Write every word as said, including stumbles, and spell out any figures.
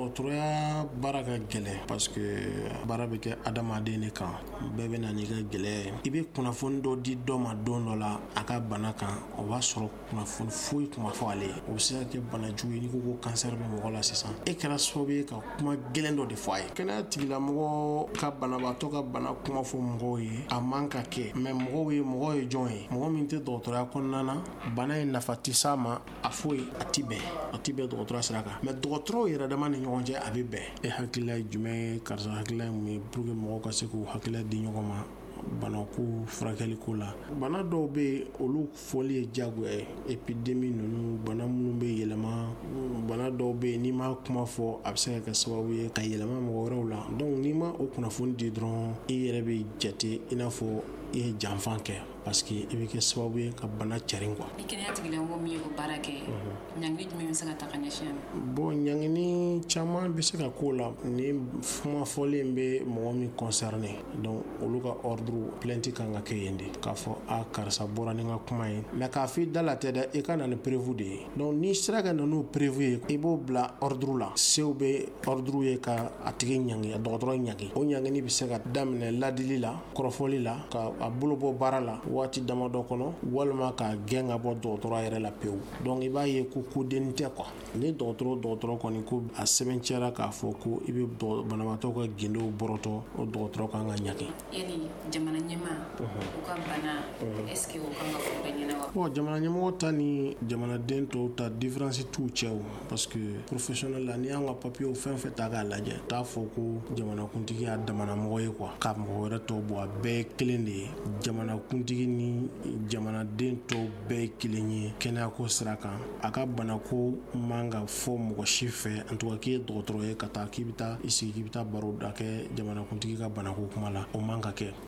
Dɔgɔtɔrɔya baara ka gɛlɛn parce que baara bɛ kɛ adamaden de kan, bɛɛ bɛ na n'i ka gɛlɛya ye. I bɛ kunnafoni dɔ di dɔ ma don dɔ la a ka bana kan, o b'a sɔrɔ kunnafoni foyi tun ma fɔ ale ye. O bɛ se ka kɛ bana jugu ye. N'i ko ko cancer bɛ mɔgɔ la sisan, e kɛra sababu ye ka kuma gɛlɛn dɔ de fɔ a ye. Kɛnɛya tigilamɔgɔ ka banabaatɔ ka bana kuma fɔ mɔgɔw ye, a man ka kɛ. Mais mɔgɔw ye mɔgɔ ye jɔn ye? Mɔgɔ min tɛ dɔgɔtɔrɔya kɔnɔna na, bana in nafa tɛ s'a ma, a foyi a ti bɛn, a ti bɛn dɔgɔtɔrɔ sira kan. Mais dɔgɔtɔrɔw yɛrɛ dama ni ɲɔgɔn cɛ, a bɛ bɛn. E hakilila ye jumɛn ye? Karisa hakilila ye mun ye pour que mɔgɔw ka se k'u hakilila di ɲɔgɔn ma banako furakɛliko la? Bana dɔw bɛ yen, olu fɔli ye diyagoya ye. Épidémie ninnu, bana minnu bɛ yɛlɛma, bana dɔw bɛ yen, n'i ma kuma fɔ, a bɛ se ka kɛ sababu ye ka yɛlɛma mɔgɔ wɛrɛw la. Donc n'i ma o kunnafoni di dɔrɔn, i yɛrɛ bɛ jate i n'a fɔ i ye janfan kɛ, parce que i bɛ kɛ sababu ye ka bana carin quoi. Ni kɛnɛya tigilamɔgɔ min ye o baara kɛ, ɲangili jumɛn bɛ se ka ta ka ɲɛsin a ma? Bon, ɲangini caman bɛ se ka k'o la. Ni kuma fɔlen bɛ mɔgɔ min concerné, donc olu ka ordre, plainte kan ka kɛ yen de, k'a fɔ a karisa bɔra ni n ka kuma ye. Mais k'a fɔ i da la tɛ dɛ, i ka na ni preuve de ye. Donc n'i sera ka na n'o preuve ye, i b'o bila ordre la. Sew bɛ ordre ye ka a tigi ɲangi, a dɔgɔtɔrɔ ɲangi. O ɲangini bɛ se ka daminɛ ladili la, kɔrɔfɔli la, ka a bolo bɔ baara la waati damadɔ kɔnɔ, walima k'a gɛn ka bɔ dɔgɔtɔrɔ yɛrɛ la pewu. Donc i b'a ye ko kodenni tɛ quoi. Ni dɔgɔtɔrɔ dɔgɔtɔrɔ kɔni ko a sɛbɛntiya k'a fɔ ko i bɛ banabaatɔ ka gindow bɔrɔtɔ, o dɔgɔtɔrɔ kan ka ɲangi. Yali jamana ɲɛmaa u ka bana, est ce que o kan ka fɔ bɛɛ ɲɛna wa? Bon, jamana ɲɛmɔgɔ ta ni jamanaden tɔw ta, différence t'u cɛ o, parce que professionnel la, n'i y'an ka papiyew fɛn fɛn ta k'a lajɛ, t'a fɔ ko jamanakuntigi y'a damana mɔgɔ ye quoi, ka mɔgɔ wɛrɛ tɔw bɔ. A bɛɛ ye kelen de ye. Jamanakuntigi ni jamanaden tɔw bɛɛ ye kelen ye kɛnɛyako sira kan. A ka banako man ka fɔ mɔgɔ si fɛ. En tout cas, k'i ye dɔgɔtɔrɔ ye ka taa k'i bɛ taa i sigi k'i bɛ taa baro da kɛ jamanakuntigi ka banako kuma la, o man ka kɛ.